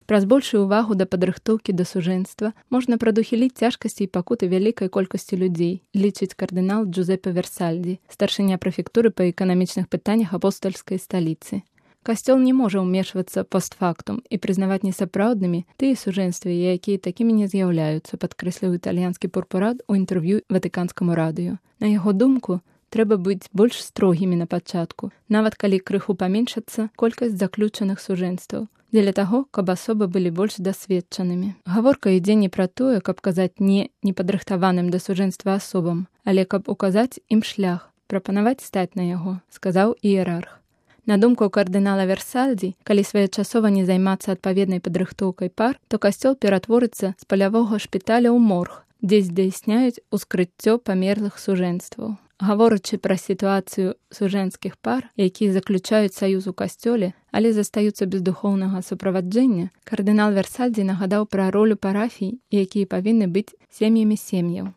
Праз большую увагу да падрыхтоўкі да сужэнства можна прадухіліць цяжкасці і пакуты вялікай колькасці людзей, лічыць кардынал Джузеппе Версальдзі, старшыня прэфектуры па эканамічных пытаннях апостальскай сталіцы. Касцёл не можа ўмешвацца постфактум і прызнаваць несапраўднымі тыя сужэнствы, якія такімі не з'яўляюцца, падкрэсліў італьянскі пурпурат у інтэрв'ю ватыканскаму радыё. На яго думку, трэба быць больш строгімі на пачатку, нават калі крыху паменшацца колькасць заключаных сужэнстваў, дзеля таго, каб асобы былі больш дасведчанымі. Гаворка ідзе не пра тое, каб казаць не непадрыхтаваным да сужэнства асобам, але каб указаць ім шлях, прапанаваць стаць на яго, сказаў іерарх. На думку кардынала Версальдзі, калі своечасова не займацца адпаведнай падрыхтоўкай пар, то касцёл ператворыцца з палявога шпіталя ў морг, дзе здзяйсняюць ускрыццё памерлых сужэнстваў. Гаворачы пра сітуацыю сужэнскіх пар, якія заключаюць саюз у касцёле, але застаюцца без духоўнага суправаджэння, кардынал Версальдзі нагадаў пра ролю парафій, якія павінны быць сем'ямі сем'яў.